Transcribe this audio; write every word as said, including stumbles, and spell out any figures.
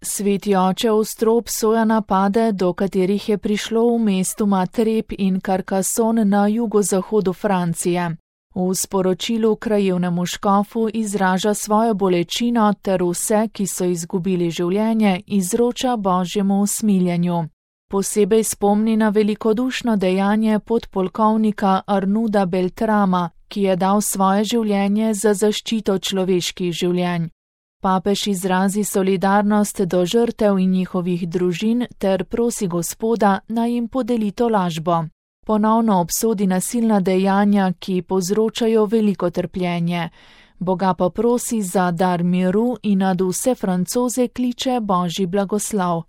Sveti oče ostro obsoja napade, do katerih je prišlo v mestu Matreb in Carcassonne na jugozahodu Francije. V sporočilu krajevnemu škofu izraža svojo bolečino ter vse, ki so izgubili življenje, izroča božjemu usmiljenju. Posebej spomni na velikodušno dejanje podpolkovnika Arnouda Beltrama, ki je dal svoje življenje za zaščito človeških življenj. Papež izrazi solidarnost do žrtev in njihovih družin ter prosi Gospoda, naj jim podeli tolažbo. Ponovno obsodi nasilna dejanja, ki povzročajo veliko trpljenje. Boga pa prosi za dar miru in nad vse Francoze kliče božji blagoslov.